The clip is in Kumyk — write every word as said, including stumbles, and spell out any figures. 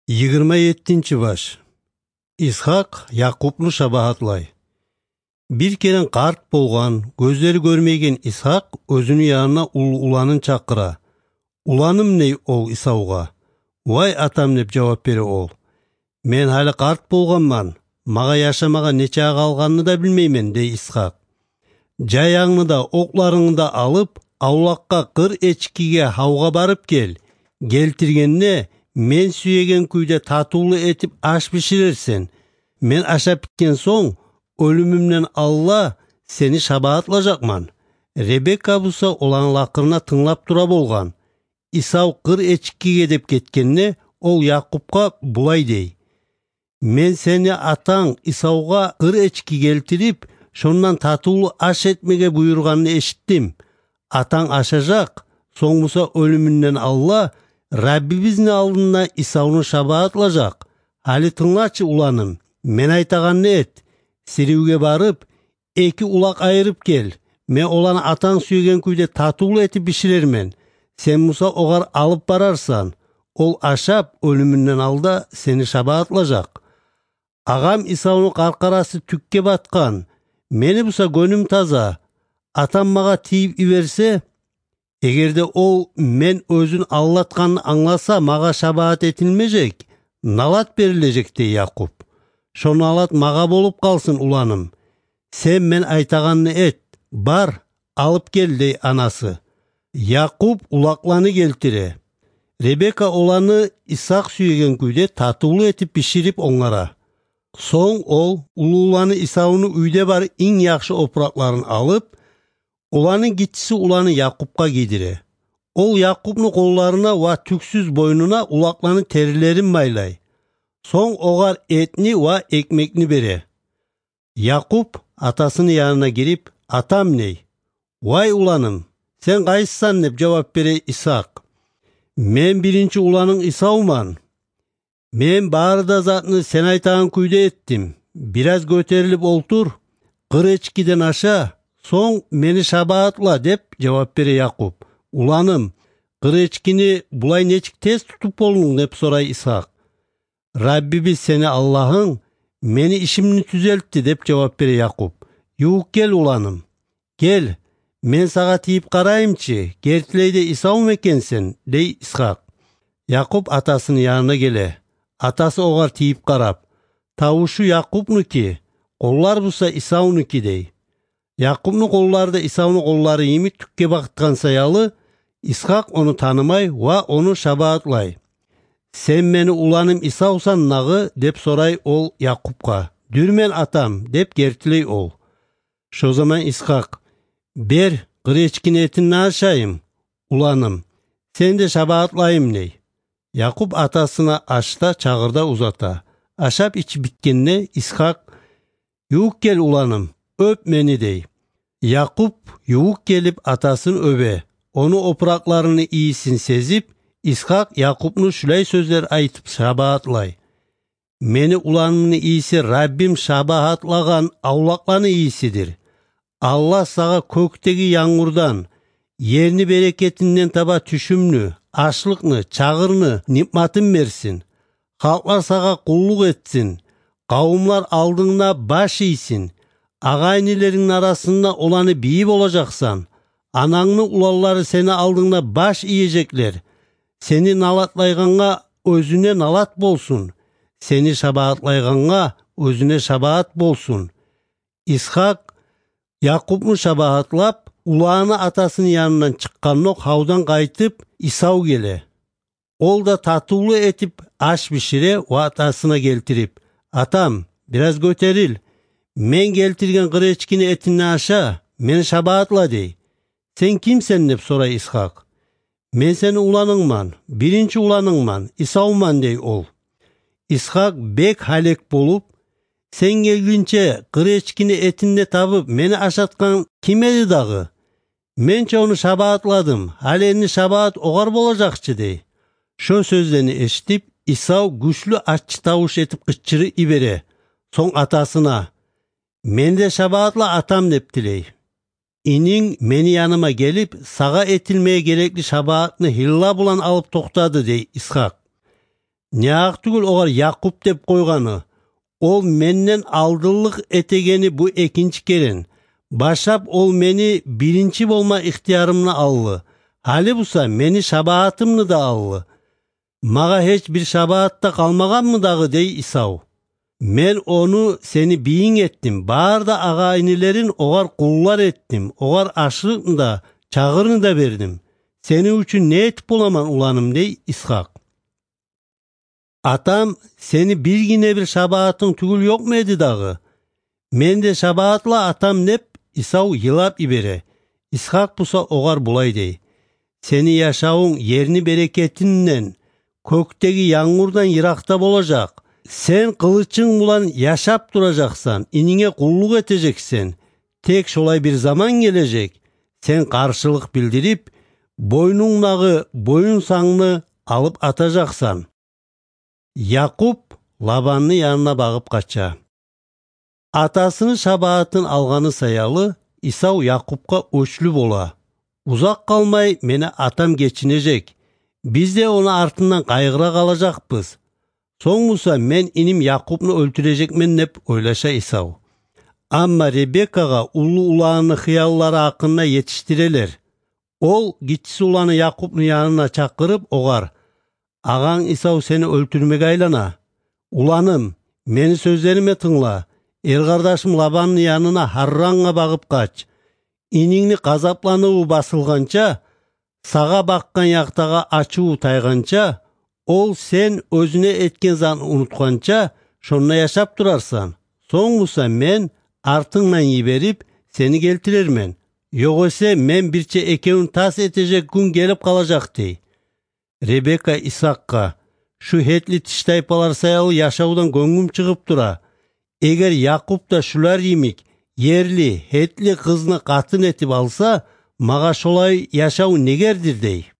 Йигирма еттинчи баш. Исгьакъ Якъубну шабагьатлай. Бир керен къарт болгъан, гёзлери гёрмейген Исгьакъ оьзюню янына уллу уланын чакъыра. «Уланым», — дей ол Исавгъа. «Вай, атам», — деп жавап бере ол. «Мен гьали къарт болгъанман, магъа яшамагъа нечакъы къалгъанны да билмеймен», — дей Исгьакъ. «Жаянгны да, окъларынгны да алып, авлакъгъа къыр эчкиге гьавгъа барып гел. Гелтиргенде, мен сюеген кюйде татывлу этип аш биширерсен. Мен ашап битген сонг, оьлюмюмден алда сени шабагьатлажакъман». Ребека буса оланы лакъырына тынглап тура болгъан. Исав къыр эчкиге деп гетгенде, ол Якъубгъа булай дей: «Мен сени атанг Исавгъа къыр эчки гелтирип, шондан татывлу аш этмеге буюргъанны эшитдим. Атанг ашажакъ, сонг буса оьлюмюнден алда Раббибизни алдында Исавну шабагьатлажакъ. Гьали тынглачы, уланым, мен айтагъанны эт. Сиривге барып, эки улакъ айырып гел. Мен оланы атанг сюеген кюйде татывлу этип биширермен. Сен буса огъар алып барарсан. Ол ашап, оьлюмюнден алда сени шабагьатлажакъ. Агъам Исавну къаркъарасы тюкге батгъан. Мени буса гёнюм таза. Атам магъа тийип йиберсе, эгер де ол мен оьзюн алдатгъанны англаса, магъа шабагьат этилмежек, налат берилежек», — дей Якъуб. «Шо налат магъа болуп къалсын, уланым. Сен мен айтагъанны эт, бар, алып гел», — дей анасы. Якъуб улакъланы гелтире. Ребека оланы Исгьакъ сюеген кюйде татывлу этип биширип онгара. Сонг ол уллу уланы Исавну уьйде бар инг яхшы опуракъларын алып, оланы гиччиси уланы Якъубгъа гийдире. Ол Якъубну къолларына ва тюксюз бойнуна улакъланы терилерин майлай. Сонг огъар этни ва экмекни бере. Якъуб атасыны янына гирип: «Атам», — дей. «Вай, уланым, сен къайсысан?» — деп жавап бере Исгьакъ. «Мен биринчи уланынг Исавман. Мен бары да затны сен айтагъан кюйде этдим. Бираз гётерилип олтур, къыр эчкиден аша, сонг мени шабагьатла», — деп жавап бере Якъуб. «Уланым, къыр эчкини булай нечик тез тутуп болдунг?» — деп сорай Исгьакъ. «Раббибиз сени Аллагьынг мени ишимни тюзелтди», — деп жавап бере Якъуб. «Ювукъ гел, уланым. Гел, мен сагъа тийип къарайымчы, гертилей де Исавму экенсен», — дей Исгьакъ. Якъуб атасыны янына геле. Атасы огъар тийип къарап: «Тавушу Якъубнуки, къоллар буса Исавнуки», — дей. Якъубну къоллары да Исавну къоллары йимик тюкге бакъгъан саялы, Исгьакъ ону танымай ва ону шабагьатлай. «Сен мени уланым Исавсан дагъы?» — деп сорай ол Якъубгъа. «Дюрмен, атам», — деп гертилей ол. Шо заман Исгьакъ: «Бер, къыр эчкини этинден ашайым, уланым, сени де шабагьатлайым», — дей. Якъуб атасына аш да, чагъыр да узата. Ашап-ичип битгенде, Исгьакъ: «Ювукъ гел, уланым, оьп мени», — дей. Якъуб ювукъ гелип атасын оьбе. Ону опуракъларыны ийисин сезип, Исгьакъ Якъубну шулай сёзлер айтып шабагьатлай: «Мени уланымны ийиси Раббим шабагьатлагъан авлакъланы ийисидир. Аллагь сагъа кёкдеги янгурдан, ерни берекетинден таба тюшюмню, ашлыкъны, чагъырны, ниъматын берсин. Халкълар сагъа къуллукъ этсин, къавумлар алдынгда баш ийсин. Агъа-инилерингни арасында оланы бийи болажакъсан. Анангны уланлары сени алдынгда баш иежеклер. Сени налатлайгъангъа оьзюне налат болсун, сени шабагьатлайгъангъа оьзюне шабагьат болсун». Исгьакъ Якъубну шабагьатлап, уланы атасыны янындан чыкъгъандокъ, гьавдан къайтып, Исав геле. Ол да татывлу этип аш бишире ва атасына гелтирип: «Атам, бираз гётерил. Мен гелтирген къыр эчкини этинден аша, мени шабагьатла», — дей. «Сен кимсен?» — деп сорай Исгьакъ. «Мен сени уланынгман, биринчи уланынгман, Исавман», — дей ол. Исгьакъ бек гьалек болуп: «Сен гелгинче къыр эчкини этин де табып, мени ашатгъан ким эди дагъы? Мен чи ону шабагьатладым, гьали энни шабагьат огъар болажакъ чы», — дей. Шо сёзлени эшитип, Исав гючлю аччы тавуш этип къычырып йибере. Сонг атасына: «Мени де шабагьатла, атам», — деп тилей. «Ининг мени яныма гелип, сагъа этилмеге герекли шабагьатны гьилла булан алып токътады», — дей Исгьакъ. Неакъ тюгюл огъар Якъуб деп къойгъаны? Ол менден алдынлыкъ этегени бу экинчи керен. Башлап ол мени биринчи болма ихтиярымны алды. Гьали буса мени шабаатымны да алды. Магъа гьеч бир шабаат да къалмагъанмы дагъы?» – дей Исав. «Мен ону сени бийинг этдим, бары да агъа-инилерин огъар къуллар этдим, огъар ашлыкъны да, чагъырны да бердим. Сени учун не этип боламан, уланым?» – дей Исхакъ. «Атам, сени бир гине бир шабаатынг тюгюл ёкъму эди дагъы?» «Мен де шабаатла, атам», – деп, Исав йылап йибере. Исхакъ буса огъар булай дей: «Сени яшавунг ерни берекетинден, кёкдеги янгурдан йыракъда болажакъ. Сен къылычынг булан яшап туражакъсан, ининге къуллукъ этежексен. Тек шолай бир заман гележек, сен къаршылыкъ билдирип, бойнунгдагъы боюн сангны алып атажакъсан». Якъуб Лабанны янына багъып къача. Атасыны шабаатын алгъаны саялы, Исав Якъубгъа оьчлю бола: «Узакъ къалмай мени атам гечинежек, биз де ону артындан къайгъыра къалажакъбыз. Сонг буса мен иним Якъубну оьлтюрежекмен», – деп ойлаша Исав. Амма Ребеккагъа уллу уланыны хыяллары гьакъында етишдирелер. Ол гиччиси уланы Якъубну янына чакъырып, огъар: «Агъанг Исав сени оьлтюрмеге айлана. Уланым, мени сёзлериме тынгла. Эркъардашым Лабанны янына Гьаррангъа багъып къач. Инингни къазапланыву басылгъанча, сагъа бакъгъан якъдагъы ачуву тайгъанча, ол сен оьзюне этген затны унутгъанча, шонда яшап турарсан. Сонг буса мен артынгдан йиберип, сени гелтирермен. Ёгъесе мен бирче экевюн тас этежек гюн гелип къалажакъ», – дей. Ребекка Исхакъгъа: «Шу гьетли тиштайпалар саялы яшавдан гёнгюм чыгъып тура. Эгер Якъуб да шулар йимик ерли гьетли къызны къатын этип алса, магъа шолай яшав негердир», – дей.